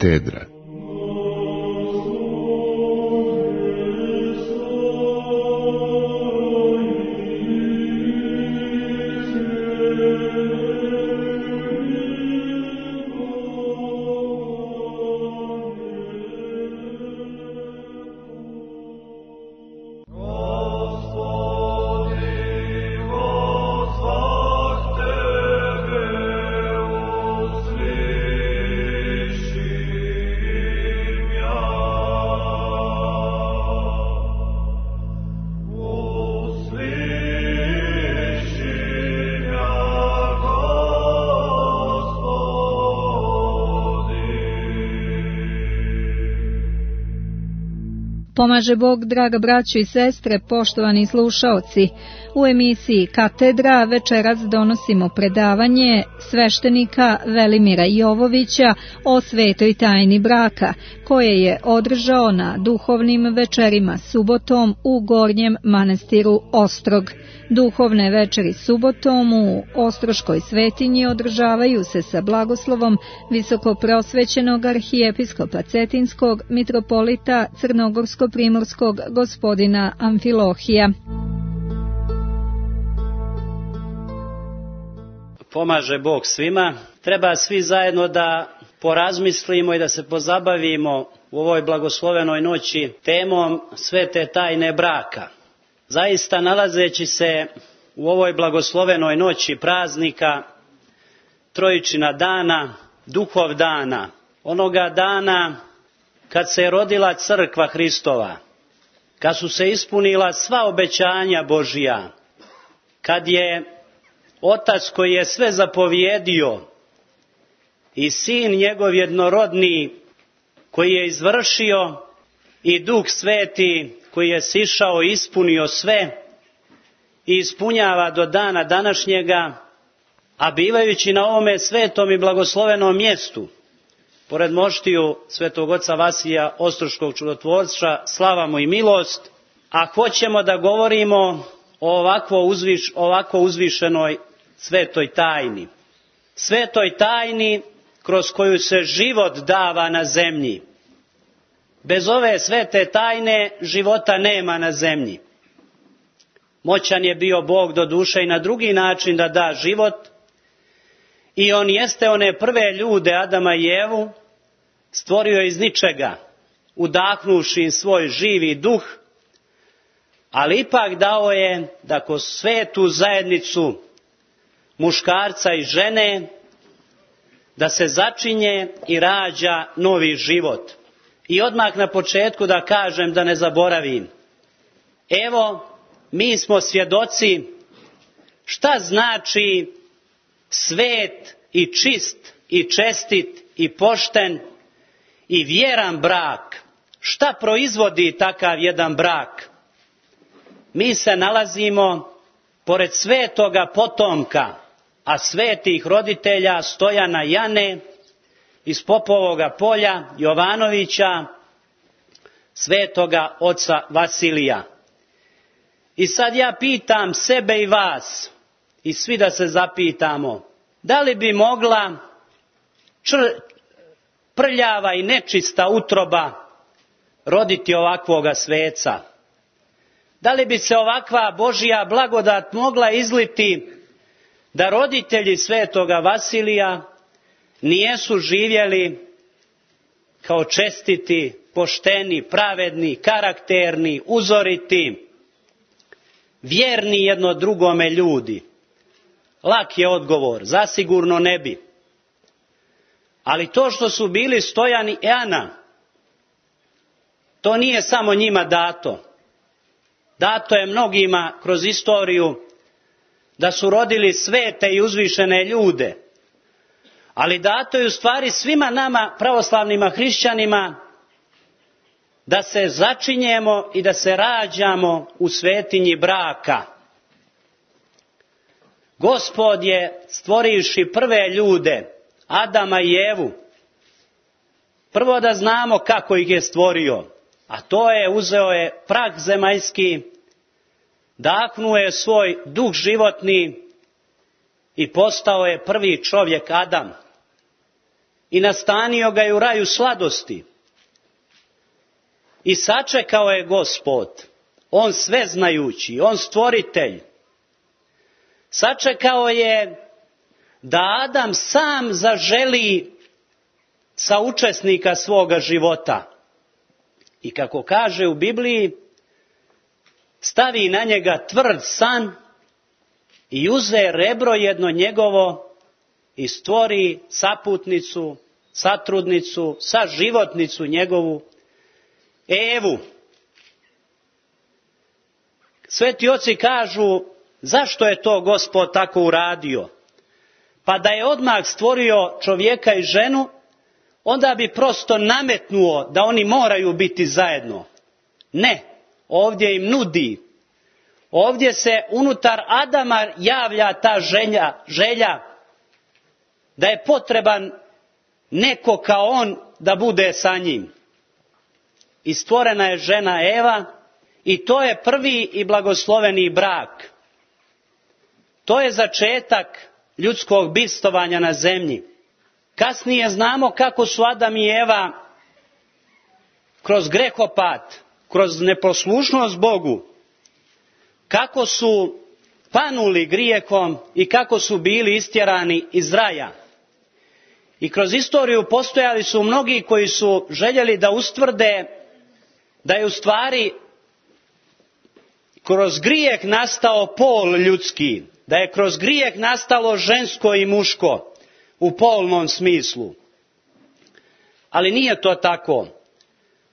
Katedra. Pomaže Bog, draga braćo i sestre, poštovani slušaoci. U emisiji Katedra večeras donosimo predavanje sveštenika Velimira Jovovića o svetoj tajni braka, koje je održao na duhovnim večerima subotom u Gornjem manastiru Ostrog. Duhovne večeri subotom u Ostroškoj svetinji održavaju se sa blagoslovom visokoprosvećenog arhijepiskopa Cetinskog mitropolita Crnogorsko-primorskog gospodina Amfilohija. Pomaže Bog svima. Treba svi zajedno da porazmislimo i da se pozabavimo u ovoj blagoslovenoj noći temom svete tajne braka. Zaista, nalazeći se u ovoj blagoslovenoj noći praznika Trojičina dana, Duhov dana, onoga dana kad se je rodila crkva Hristova, kad su se ispunila sva obećanja Božija, kad je Otac koji je sve zapovjedio i Sin njegov jednorodni koji je izvršio i Duh Sveti koji je sišao i ispunio sve i ispunjava do dana današnjega, a bivajući na ovome svetom i blagoslovenom mjestu, pored moštiju svetog oca Vasilija Ostroškog čudotvorca, slava mu i milost, a hoćemo da govorimo o ovako uzvišenoj svetoj tajni. Svetoj tajni kroz koju se život dava na zemlji. Bez ove svete tajne života nema na zemlji. Moćan je bio Bog do duše i na drugi način da da život, i on jeste one prve ljude, Adama i Evu, stvorio iz ničega, udahnuši im svoj živi duh, ali ipak dao je da kroz svetu zajednicu muškarca i žene da se začinje i rađa novi život. I odmah na početku da kažem, da ne zaboravim. Evo, mi smo svjedoci šta znači svet i čist i čestit i pošten i vjeran brak. Šta proizvodi takav jedan brak? Mi se nalazimo pored svetoga potomka, a svetih roditelja Stojana Jane iz Popovoga polja, Jovanovića, svetoga oca Vasilija. I sad ja pitam sebe i vas, i svi da se zapitamo, da li bi mogla prljava i nečista utroba roditi ovakvoga sveca? Da li bi se ovakva Božja blagodat mogla izliti da roditelji svetoga Vasilija nijesu živjeli kao čestiti, pošteni, pravedni, karakterni, uzoriti, vjerni jedno drugome ljudi? Lak je odgovor, zasigurno ne bi. Ali to što su bili Stojan i Ana, to nije samo njima dato. Dato je mnogima kroz istoriju da su rodili svete i uzvišene ljude. Ali dato je u stvari svima nama, pravoslavnima hrišćanima, da se začinjemo i da se rađamo u svetinji braka. Gospod je, stvorivši prve ljude, Adama i Evu, prvo da znamo kako ih je stvorio, a to je, uzeo je prah zemaljski, dahnuo je svoj duh životni i postao je prvi čovjek Adam. i nastanio ga je u raju sladosti. I sačekao je Gospod, on sveznajući, on stvoritelj. Sačekao je da Adam sam zaželi saučesnika svoga života. I kako kaže u Bibliji, stavi na njega tvrd san i uze rebro jedno njegovo i stvori saputnicu, satrudnicu, saživotnicu njegovu, Evu. Sveti oci kažu, zašto je to Gospod tako uradio? Pa da je odmah stvorio čovjeka i ženu, onda bi prosto nametnuo da oni moraju biti zajedno. Ne, ovdje im nudi. Ovdje se unutar Adama javlja ta želja da je potreban neko kao on da bude sa njim. I stvorena je žena Eva i to je prvi i blagosloveni brak. To je začetak ljudskog bivstvovanja na zemlji. Kasnije znamo kako su Adam i Eva kroz grehopad, kroz neposlušnost Bogu, kako su panuli grijehom i kako su bili istjerani iz raja. I kroz istoriju postojali su mnogi koji su željeli da ustvrde da je u stvari kroz grijeh nastao pol ljudski, da je kroz grijeh nastalo žensko i muško u polnom smislu. Ali nije to tako.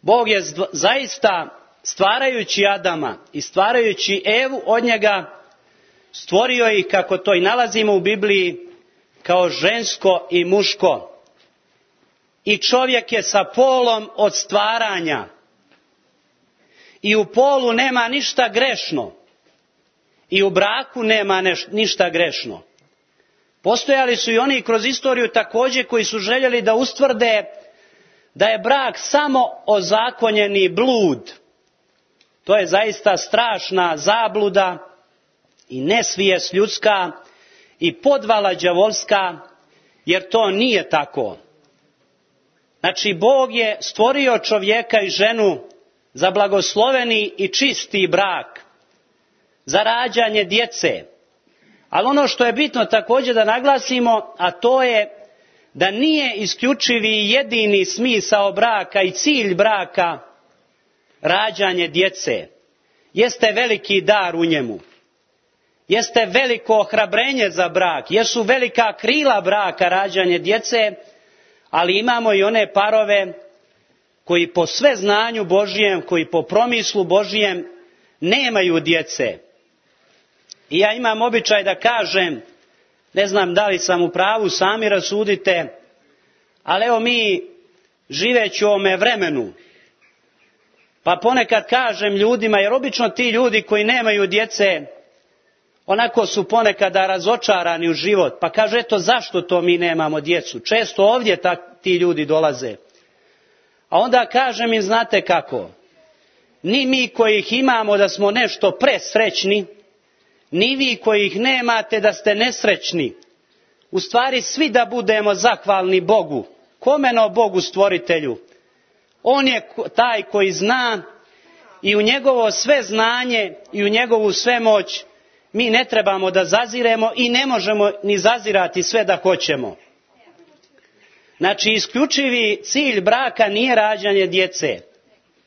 Bog je zaista stvarajući Adama i stvarajući Evu od njega stvorio ih, kako to i nalazimo u Bibliji, kao žensko i muško. I čovjek je sa polom od stvaranja. I u polu nema ništa grešno. I u braku nema ništa grešno. Postojali su i oni kroz istoriju također koji su željeli da ustvrde da je brak samo ozakonjeni blud. To je zaista strašna zabluda i nesvijest ljudska i podvala đavolska, jer to nije tako. Znači, Bog je stvorio čovjeka i ženu za blagosloveni i čisti brak, za rađanje djece. Ali ono što je bitno također da naglasimo, a to je da nije isključivi i jedini smisao braka i cilj braka rađanje djece. Jeste veliki dar u njemu. Jeste veliko ohrabrenje za brak. Jesu velika krila braka rađanje djece, ali imamo i one parove koji po sve znanju Božijem, koji po promislu Božijem nemaju djece. I ja imam običaj da kažem, ne znam da li sam u pravu, sami rasudite, ali evo mi živeći u ovome vremenu, pa ponekad kažem ljudima, jer obično ti ljudi koji nemaju djece, onako su ponekada razočarani u život, pa kaže, eto zašto to mi nemamo djecu? Često ovdje ti ljudi dolaze. A onda kažem im, znate kako, ni mi koji ih imamo da smo nešto presrećni, ni vi koji ih nemate da ste nesrećni. U stvari svi da budemo zahvalni Bogu. Komeno Bogu stvoritelju. On je taj koji zna i u njegovo sve znanje i u njegovu sve moć mi ne trebamo da zaziremo i ne možemo ni zazirati sve da hoćemo. Znači, isključivi cilj braka nije rađanje djece.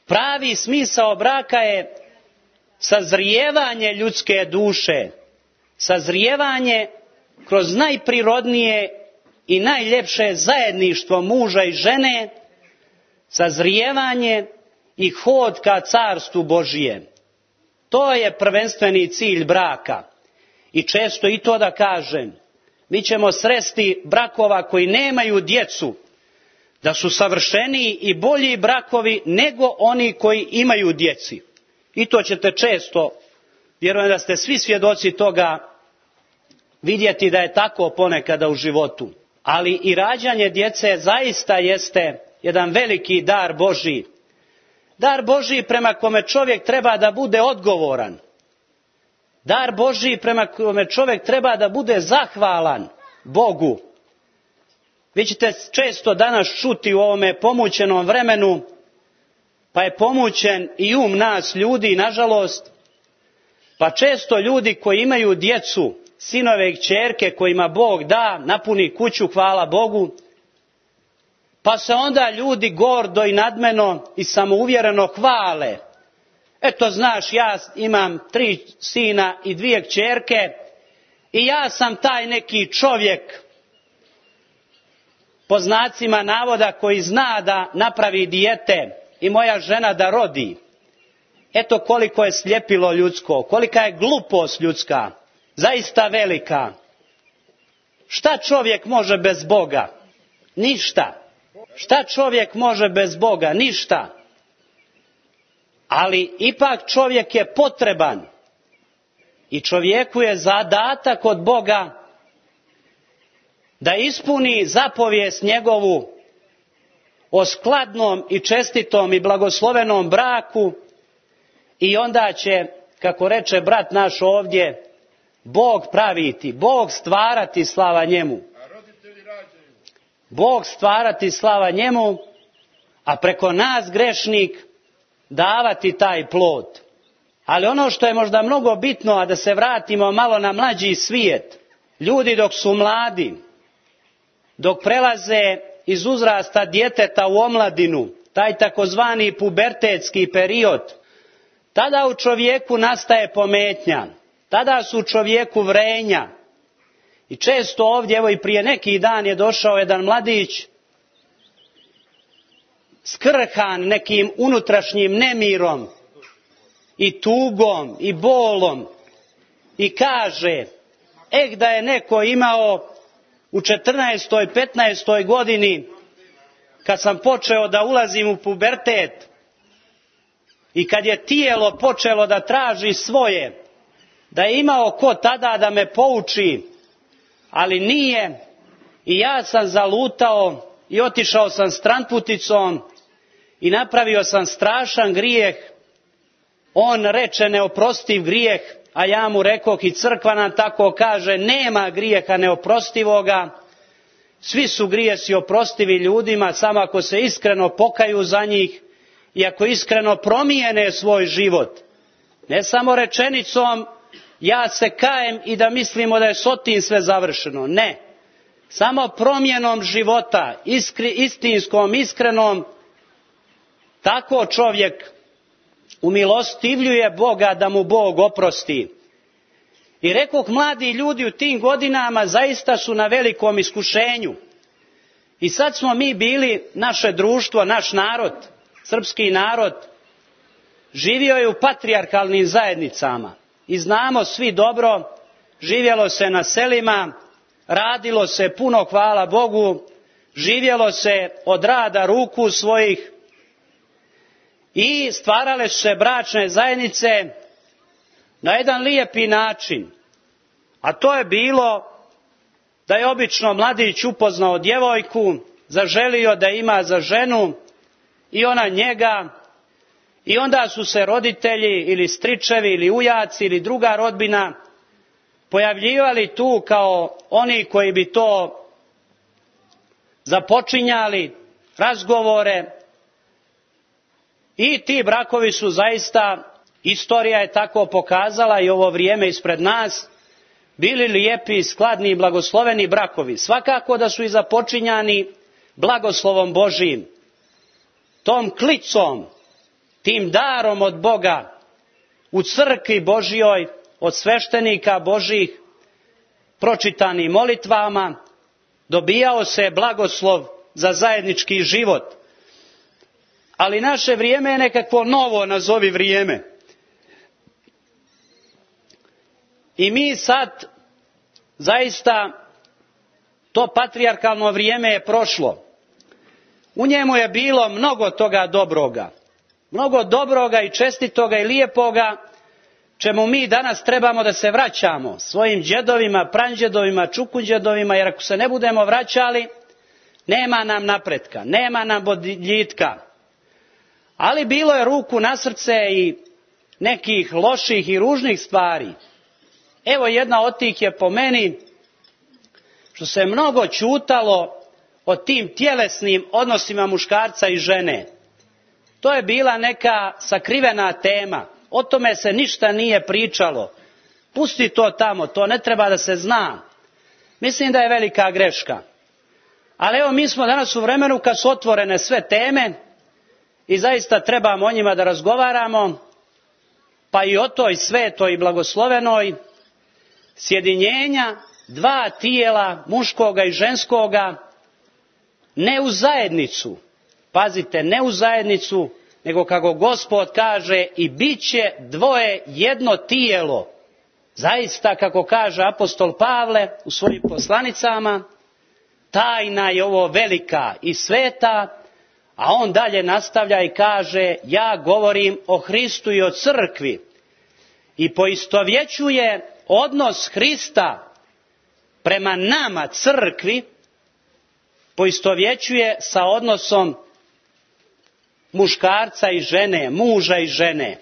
Pravi smisao braka je sazrijevanje ljudske duše, sazrijevanje kroz najprirodnije i najljepše zajedništvo muža i žene, sazrijevanje i hod ka carstvu Božijem. To je prvenstveni cilj braka. I često i to da kažem, mi ćemo sresti brakova koji nemaju djecu, da su savršeniji i bolji brakovi nego oni koji imaju djeci. I to ćete često, vjerujem da ste svi svjedoci toga, vidjeti da je tako ponekada u životu. Ali i rađanje djece zaista jeste jedan veliki dar Božji. Dar Božji prema kome čovjek treba da bude odgovoran. Dar Božji prema kome čovjek treba da bude zahvalan Bogu. Vi ćete često danas čuti u ovome pomućenom vremenu, pa je pomućen i nas ljudi, nažalost, pa često ljudi koji imaju djecu, sinove i kćerke kojima Bog da, napuni kuću, hvala Bogu, pa se onda ljudi gordo i nadmeno i samouvjereno hvale. Eto, znaš, ja imam 3 sina i 2 kćerke i ja sam taj neki čovjek, po znacima navoda, koji zna da napravi dijete i moja žena da rodi. Eto koliko je sljepilo ljudsko, kolika je glupost ljudska, zaista velika. Šta čovjek može bez Boga? Ništa. Šta čovjek može bez Boga? Ništa. Ali ipak čovjek je potreban i čovjeku je zadatak od Boga da ispuni zapovijest njegovu o skladnom i čestitom i blagoslovenom braku, i onda će, kako reče brat naš ovdje, Bog praviti, Bog stvarati, slava njemu. Bog stvarati, slava njemu, a preko nas, grešnik, davati taj plod. Ali ono što je možda mnogo bitno, a da se vratimo malo na mlađi svijet, ljudi dok su mladi, dok prelaze iz uzrasta djeteta u omladinu, taj takozvani pubertetski period, tada u čovjeku nastaje pometnja, tada su u čovjeku vrenja. I često ovdje, evo i prije neki dan je došao jedan mladić, skrhan nekim unutrašnjim nemirom i tugom i bolom, i kaže, da je neko imao u 14. 15. godini, kad sam počeo da ulazim u pubertet i kad je tijelo počelo da traži svoje, da je imao ko tada da me pouči, ali nije, i ja sam zalutao i otišao sam stranputicom i napravio sam strašan grijeh. On reče neoprostiv grijeh, a ja mu rekoh, i crkva nam tako kaže, nema grijeha neoprostivoga, svi su grijesi oprostivi ljudima, samo ako se iskreno pokaju za njih i ako iskreno promijene svoj život. Ne samo rečenicom, ja se kajem, i da mislimo da je s tim sve završeno. Ne. Samo promjenom života, istinskom, iskrenom, tako čovjek umilostivljuje Boga da mu Bog oprosti. I rekoh, mladi ljudi u tim godinama zaista su na velikom iskušenju. I sad smo mi bili, naše društvo, naš narod, srpski narod, živio je u patrijarhalnim zajednicama. I znamo svi dobro, živjelo se na selima, radilo se puno, hvala Bogu, živjelo se od rada ruku svojih i stvarale su se bračne zajednice na jedan lijepi način. A to je bilo da je obično mladić upoznao djevojku, zaželio da ima za ženu i ona njega, i onda su se roditelji ili stričevi ili ujaci ili druga rodbina pojavljivali tu kao oni koji bi to započinjali, razgovore, i ti brakovi su zaista, istorija je tako pokazala i ovo vrijeme ispred nas, bili lijepi, skladni i blagosloveni brakovi. Svakako da su i započinjani blagoslovom Božijim, tom klicom, tim darom od Boga, u crkvi Božijoj, od sveštenika Božih, pročitanim molitvama, dobijao se blagoslov za zajednički život. Ali naše vrijeme je nekakvo novo, nazovi vrijeme. I mi sad, zaista, to patrijarhalno vrijeme je prošlo. U njemu je bilo mnogo toga dobroga. Mnogo dobroga i čestitoga i lijepoga, čemu mi danas trebamo da se vraćamo, svojim džedovima, pranđedovima, čukunđedovima, jer ako se ne budemo vraćali, nema nam napretka, nema nam boljitka. Ali bilo je ruku na srce i nekih loših i ružnih stvari. Evo jedna od tih je po meni što se mnogo ćutalo o tim tjelesnim odnosima muškarca i žene. To je bila neka sakrivena tema. O tome se ništa nije pričalo. Pusti to tamo, to ne treba da se zna. Mislim da je velika greška. Ali evo, mi smo danas u vremenu kad su otvorene sve teme i zaista trebamo o njima da razgovaramo, pa i o toj svetoj i blagoslovenoj sjedinjenja dva tijela, muškoga i ženskoga, ne u zajednicu. Pazite, ne u zajednicu, nego kako Gospod kaže, i bit će dvoje jedno tijelo. Zaista, kako kaže apostol Pavle u svojim poslanicama, tajna je ovo velika i sveta, a on dalje nastavlja i kaže, ja govorim o Hristu i o crkvi, i poistovjećuje odnos Hrista prema nama, crkvi, poistovjećuje sa odnosom muškarca i žene, muža i žene.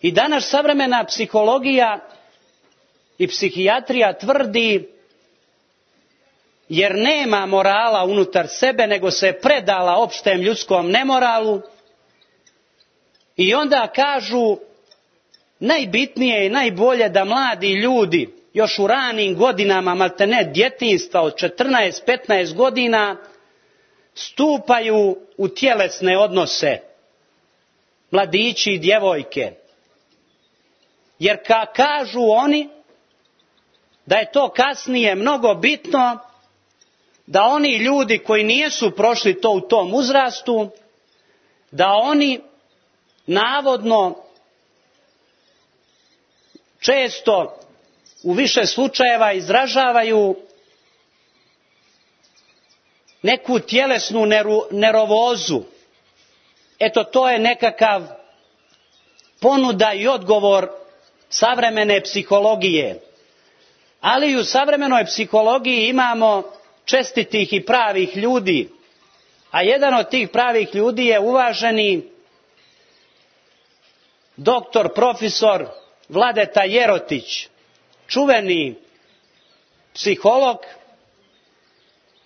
I danas savremena psihologija i psihijatrija tvrdi, jer nema morala unutar sebe, nego se predala opštem ljudskom nemoralu, i onda kažu, najbitnije i najbolje da mladi ljudi još u ranim godinama, maltene djetinjstva od 14-15 godina, stupaju u tjelesne odnose, mladići i djevojke. Jer kažu oni da je to kasnije mnogo bitno, da oni ljudi koji nisu prošli to u tom uzrastu, da oni navodno često u više slučajeva izražavaju neku tjelesnu nervozu. Eto, to je nekakav ponuda i odgovor savremene psihologije. Ali i u savremenoj psihologiji imamo čestitih i pravih ljudi, a jedan od tih pravih ljudi je uvaženi doktor, profesor Vladeta Jerotić, čuveni psiholog,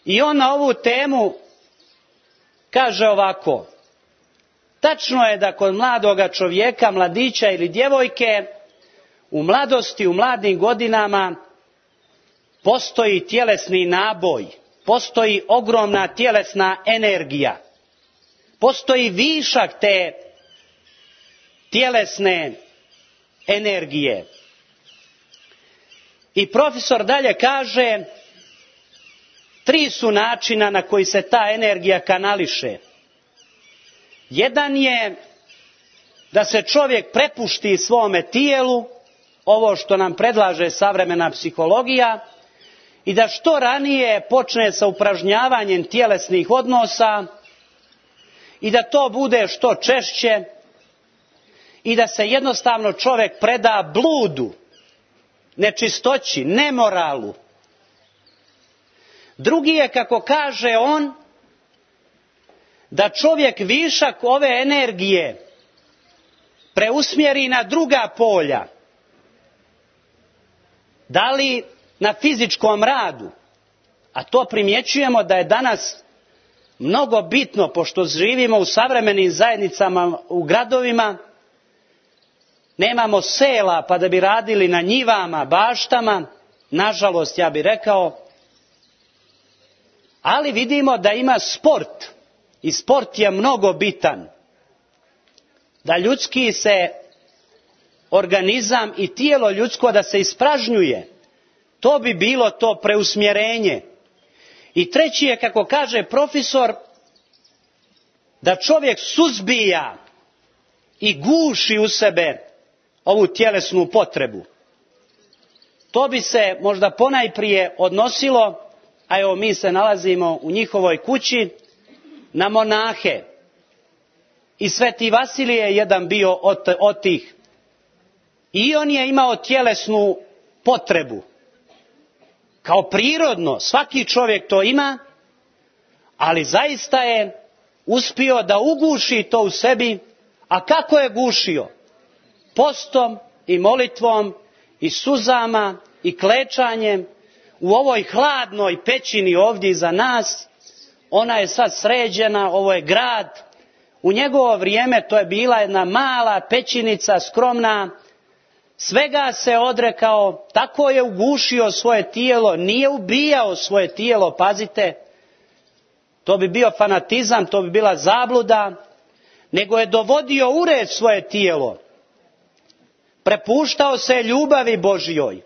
i on na ovu temu kaže ovako: tačno je da kod mladoga čovjeka, mladića ili djevojke, u mladosti, u mladim godinama postoji tjelesni naboj, postoji ogromna tjelesna energija, postoji višak te tjelesne energije. I profesor dalje kaže, 3 su načina na koji se ta energija kanališe. Jedan je da se čovjek prepušti svome tijelu, ovo što nam predlaže savremena psihologija, i da što ranije počne sa upražnjavanjem tjelesnih odnosa i da to bude što češće i da se jednostavno čovjek preda bludu, nečistoći, nemoralu. Drugi je, kako kaže on, da čovjek višak ove energije preusmjeri na druga polja. Da li na fizičkom radu, a to primjećujemo da je danas mnogo bitno, pošto živimo u savremenim zajednicama, u gradovima, nemamo sela pa da bi radili na njivama, baštama, nažalost ja bih rekao, ali vidimo da ima sport i sport je mnogo bitan, da ljudski se organizam i tijelo ljudsko da se ispražnjuje. To bi bilo to preusmjerenje. I treći je, kako kaže profesor, da čovjek suzbija i guši u sebe ovu tjelesnu potrebu. To bi se možda ponajprije odnosilo, a evo mi se nalazimo u njihovoj kući, na monahe. I Sveti Vasilije je jedan bio od tih. I on je imao tjelesnu potrebu. Kao prirodno, svaki čovjek to ima, ali zaista je uspio da uguši to u sebi. A kako je gušio? Postom i molitvom i suzama i klečanjem u ovoj hladnoj pećini ovdje iza nas, ona je sad sređena, ovo je grad. U njegovo vrijeme to je bila jedna mala pećinica, skromna, svega se odrekao, tako je ugušio svoje tijelo, nije ubijao svoje tijelo, pazite, to bi bio fanatizam, to bi bila zabluda, nego je dovodio u red svoje tijelo, prepuštao se ljubavi Božjoj.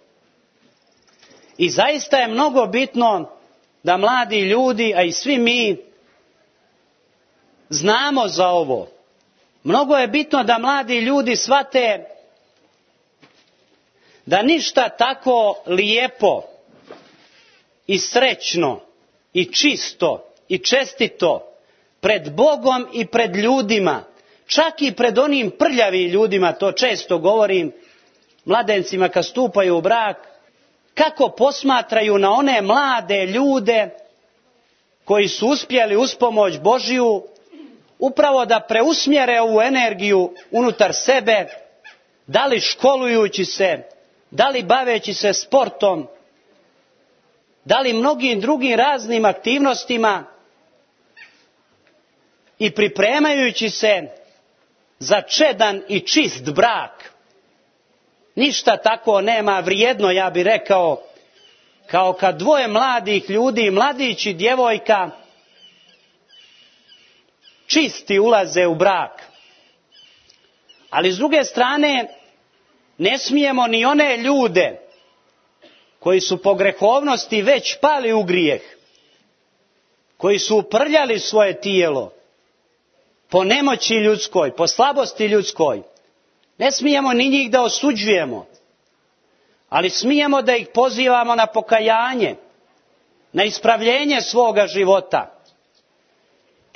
I zaista je mnogo bitno da mladi ljudi, a i svi mi, znamo za ovo. Mnogo je bitno da mladi ljudi shvate da ništa tako lijepo i srećno i čisto i čestito pred Bogom i pred ljudima, čak i pred onim prljavim ljudima, to često govorim mladencima kad stupaju u brak, kako posmatraju na one mlade ljude koji su uspjeli uz pomoć Božju upravo da preusmjere ovu energiju unutar sebe, da li školujući se, da li baveći se sportom, da li mnogim drugim raznim aktivnostima i pripremajući se za čedan i čist brak. Ništa tako nema vrijedno, ja bih rekao, kao kad dvoje mladih ljudi, mladić i djevojka, čisti ulaze u brak. Ali s druge strane, ne smijemo ni one ljude koji su po grehovnosti već pali u grijeh, koji su uprljali svoje tijelo, po nemoći ljudskoj, po slabosti ljudskoj, ne smijemo ni njih da osuđujemo, ali smijemo da ih pozivamo na pokajanje, na ispravljenje svoga života.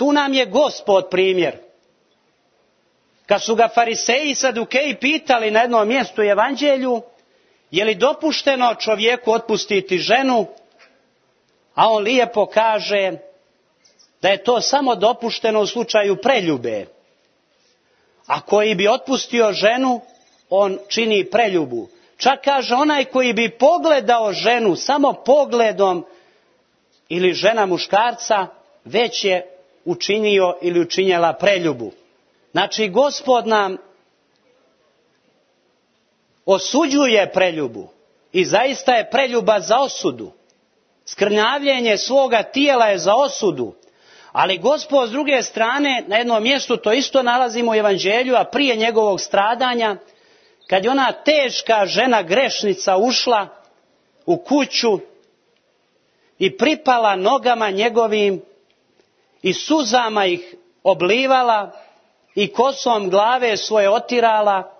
Tu nam je Gospod primjer. Kad su ga fariseji i sadukeji pitali na jednom mjestu u evanđelju, je li dopušteno čovjeku otpustiti ženu, a on lijepo kaže da je to samo dopušteno u slučaju preljube. A koji bi otpustio ženu, on čini preljubu. Čak kaže onaj koji bi pogledao ženu samo pogledom ili žena muškarca, već je učinio ili učinjela preljubu. Znači, Gospod nam osuđuje preljubu i zaista je preljuba za osudu. Skrnavljenje svoga tijela je za osudu. Ali Gospod s druge strane, na jednom mjestu to isto nalazimo u evanđelju, a prije njegovog stradanja, kad je ona teška žena grešnica ušla u kuću i pripala nogama njegovim i suzama ih oblivala i kosom glave svoje otirala,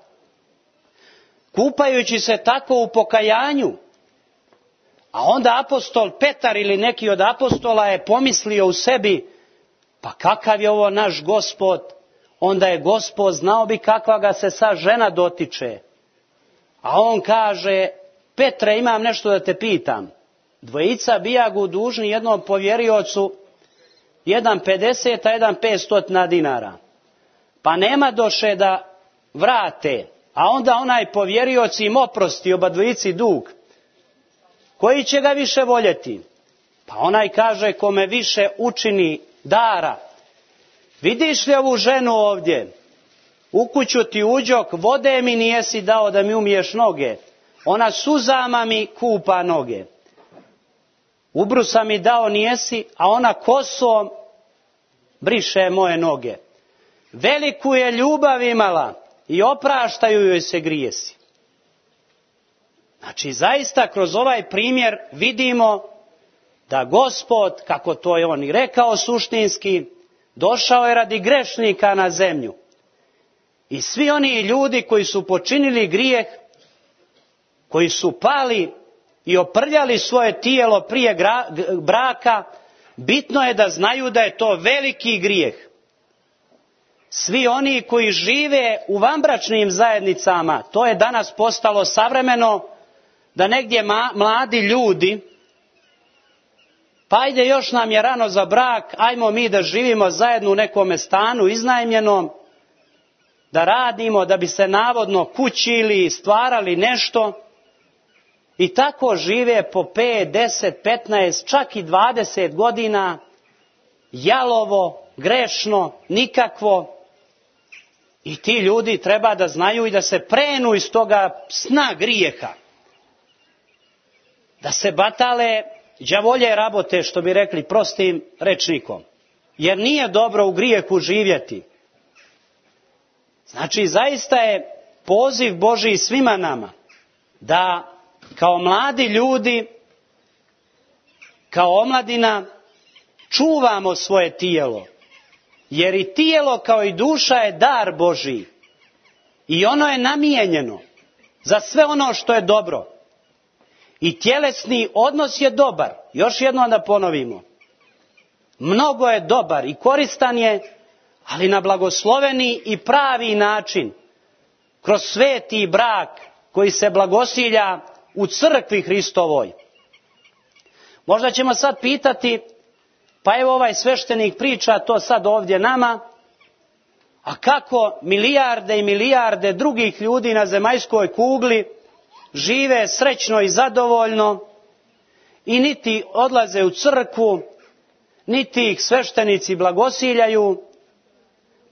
kupajući se tako u pokajanju. A onda apostol Petar ili neki od apostola je pomislio u sebi, pa kakav je ovo naš Gospod? Onda je Gospod znao bi kakva ga se sa žena dotiče. A on kaže, Petre, imam nešto da te pitam. Dvojica bijagu dužni jednom povjeriocu, jedan 50, a jedan 500 dinara. Pa nema doše da vrate, a onda onaj povjerioc im oprosti oba dvojici dug. Koji će ga više voljeti? Pa onaj kaže, kome više učini dara. Vidiš li ovu ženu ovdje? U kuću ti uđok, vode mi nijesi dao da mi umiješ noge. Ona suzama mi kupa noge. Ubrusa mi dao nijesi, a ona kosom briše moje noge. Veliku je ljubav imala i opraštaju joj se grijesi. Znači, zaista kroz ovaj primjer vidimo da Gospod, kako to je on i rekao suštinski, došao je radi grešnika na zemlju. I svi oni ljudi koji su počinili grijeh, koji su pali i oprljali svoje tijelo prije braka, bitno je da znaju da je to veliki grijeh. Svi oni koji žive u vanbračnim zajednicama, to je danas postalo savremeno, da negdje mladi ljudi, pa ajde još nam je rano za brak, ajmo mi da živimo zajedno u nekome stanu iznajmljenom, da radimo, da bi se navodno kućili, stvarali nešto, i tako žive po 5, 10, 15, čak i 20 godina jalovo, grešno, nikakvo. I ti ljudi treba da znaju i da se prenu iz toga sna grijeha. Da se batale đavolje rabote, što bi rekli prostim rečnikom. Jer nije dobro u grijehu živjeti. Znači, zaista je poziv Božji svima nama da kao mladi ljudi, kao omladina, čuvamo svoje tijelo. Jer i tijelo kao i duša je dar Božji. I ono je namijenjeno za sve ono što je dobro. I tjelesni odnos je dobar. Još jednom da ponovimo. Mnogo je dobar i koristan je, ali na blagosloveni i pravi način. Kroz sveti brak koji se blagosilja u crkvi Hristovoj. Možda ćemo sad pitati, pa evo ovaj sveštenik priča to sad ovdje nama, a kako milijarde i milijarde drugih ljudi na zemaljskoj kugli žive srećno i zadovoljno i niti odlaze u crkvu, niti ih sveštenici blagosiljaju,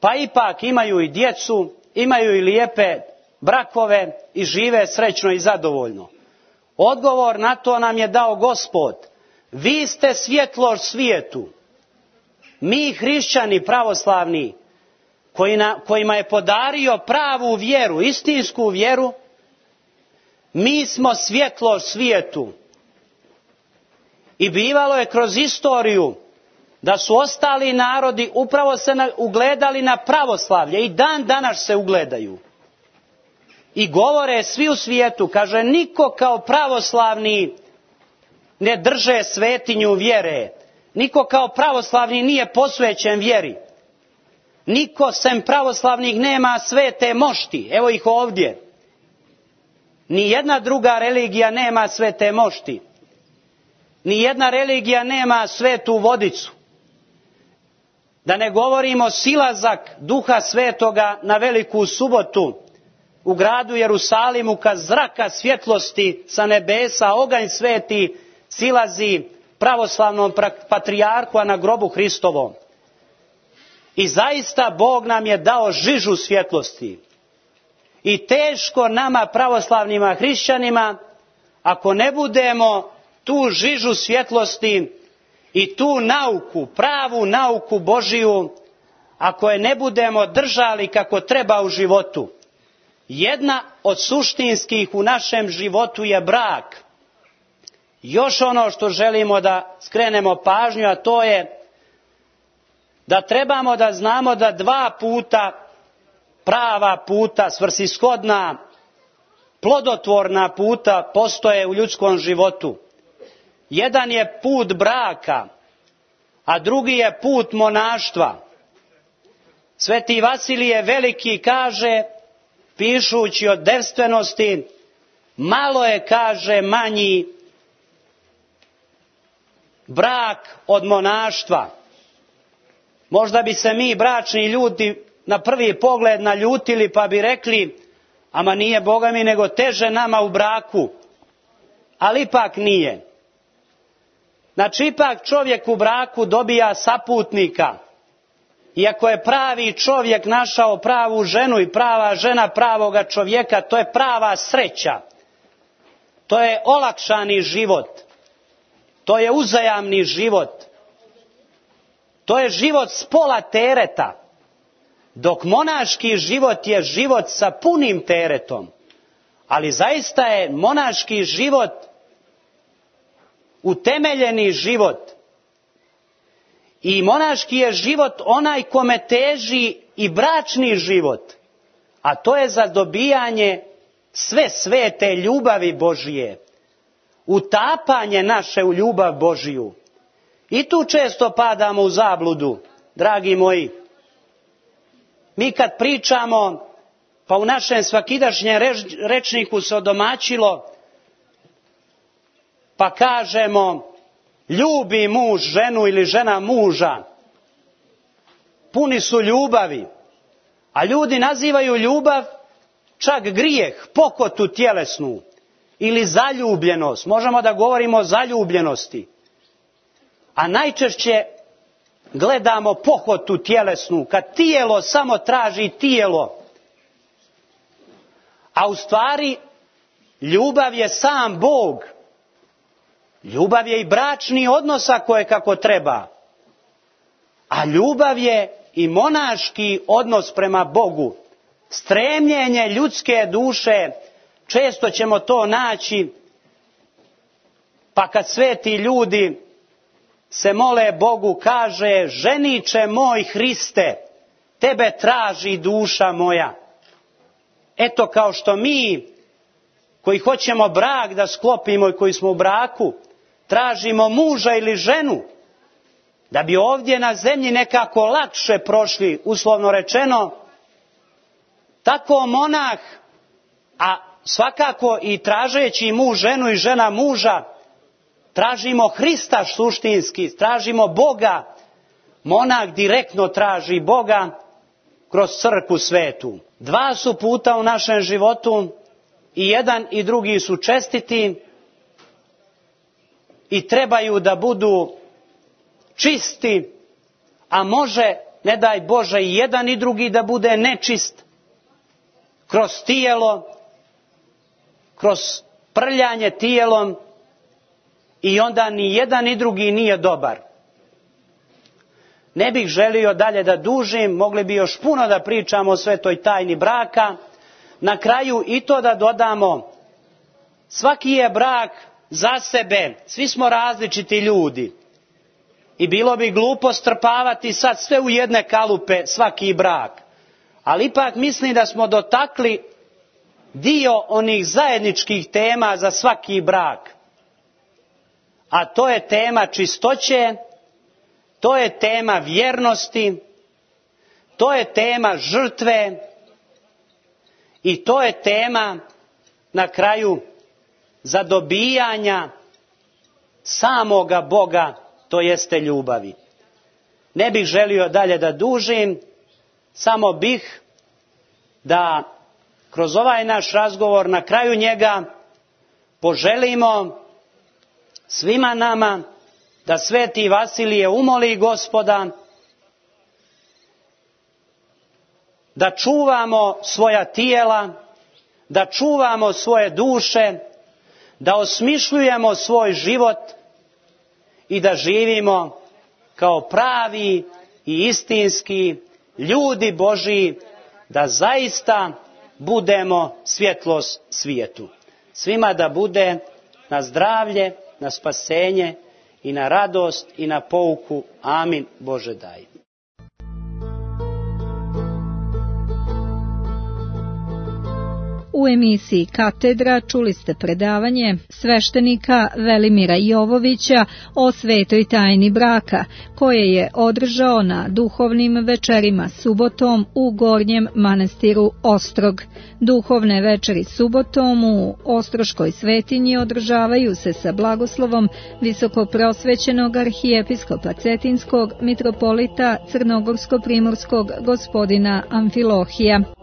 pa ipak imaju i djecu, imaju i lijepe brakove i žive srećno i zadovoljno. Odgovor na to nam je dao Gospod. Vi ste svjetlo svijetu. Mi hrišćani pravoslavni, kojima je podario pravu vjeru, istinsku vjeru, mi smo svjetlo svijetu. I bivalo je kroz istoriju da su ostali narodi upravo se ugledali na pravoslavlje i dan danas se ugledaju. I govore svi u svijetu, kaže, niko kao pravoslavni ne drže svetinju vjere. Niko kao pravoslavni nije posvećen vjeri. Niko sem pravoslavnih nema svete mošti. Evo ih ovdje. Ni jedna druga religija nema svete mošti. Ni jedna religija nema svetu vodicu. Da ne govorimo silazak Duha Svetoga na Veliku subotu u gradu Jerusalimu, kad zraka svjetlosti sa nebesa, oganj sveti silazi pravoslavnom patrijarhu, a na grobu Hristovom. I zaista Bog nam je dao žižu svjetlosti. I teško nama pravoslavnima hrišćanima, ako ne budemo tu žižu svjetlosti i tu nauku, pravu nauku Božiju, ako je ne budemo držali kako treba u životu. Jedna od suštinskih u našem životu je brak. Još ono što želimo da skrenemo pažnju, a to je da trebamo da znamo da dva puta, prava puta, svrsishodna, plodotvorna puta postoje u ljudskom životu. Jedan je put braka, a drugi je put monaštva. Sveti Vasilije Veliki kaže, pišući o devstvenosti, malo je, kaže, manji brak od monaštva. Možda bi se mi, bračni ljudi, na prvi pogled naljutili pa bi rekli, ama nije, Boga mi, nego teže nama u braku. Ali ipak nije. Znači, ipak čovjek u braku dobija saputnika. Iako je pravi čovjek našao pravu ženu i prava žena pravoga čovjeka, to je prava sreća. To je olakšani život. To je uzajamni život. To je život s pola tereta. Dok monaški život je život sa punim teretom. Ali zaista je monaški život utemeljeni život. I monaški je život onaj kome teži i bračni život. A to je za dobijanje sve svete ljubavi Božije. Utapanje naše u ljubav Božiju. I tu često padamo u zabludu, dragi moji. Mi kad pričamo, pa u našem svakidašnjem rečniku se odomaćilo, pa kažemo, ljubi muž ženu ili žena muža. Puni su ljubavi. A ljudi nazivaju ljubav čak grijeh, pokotu tjelesnu ili zaljubljenost. Možemo da govorimo o zaljubljenosti. A najčešće gledamo pohotu tjelesnu, kad tijelo samo traži tijelo. A u stvari ljubav je sam Bog. Ljubav je i bračni odnos ako je kako treba. A ljubav je i monaški odnos prema Bogu. Stremljenje ljudske duše, često ćemo to naći, pa kad sveti ljudi se mole Bogu, kaže: ženiče moj Hriste, tebe traži duša moja. Eto, kao što mi koji hoćemo brak da sklopimo i koji smo u braku, tražimo muža ili ženu, da bi ovdje na zemlji nekako lakše prošli, uslovno rečeno, tako monah, a svakako i tražeći muž ženu i žena muža, tražimo Hrista suštinski, tražimo Boga. Monah direktno traži Boga kroz crkvu svetu. Dva su puta u našem životu, i jedan i drugi su čestiti i trebaju da budu čisti, a može, ne daj Bože, i jedan i drugi da bude nečist kroz tijelo, kroz prljanje tijelom, i onda ni jedan ni drugi nije dobar. Ne bih želio dalje da dužim, mogli bi još puno da pričamo o svetoj tajni braka. Na kraju i to da dodamo, svaki je brak za sebe, svi smo različiti ljudi. I bilo bi glupo strpavati sad sve u jedne kalupe svaki brak. Ali ipak mislim da smo dotakli dio onih zajedničkih tema za svaki brak. A to je tema čistoće, to je tema vjernosti, to je tema žrtve i to je tema na kraju zadobijanja samoga Boga, to jeste ljubavi. Ne bih želio dalje da dužim, samo bih da kroz ovaj naš razgovor na kraju njega poželimo svima nama da sveti Vasilije umoli Gospoda da čuvamo svoja tijela, da čuvamo svoje duše, da osmišljujemo svoj život i da živimo kao pravi i istinski ljudi Božji, da zaista budemo svjetlost svijetu. Svima da bude na zdravlje, na spasenje i na radost i na pouku. Amin. Bože daj. U emisiji Katedra čuli ste predavanje sveštenika Velimira Jovovića o svetoj tajni braka, koje je održao na duhovnim večerima subotom u Gornjem manastiru Ostrog. Duhovne večeri subotom u Ostroškoj svetinji održavaju se sa blagoslovom visokoprosvećenog arhijepiskopa Cetinskog mitropolita Crnogorsko-primorskog gospodina Amfilohija.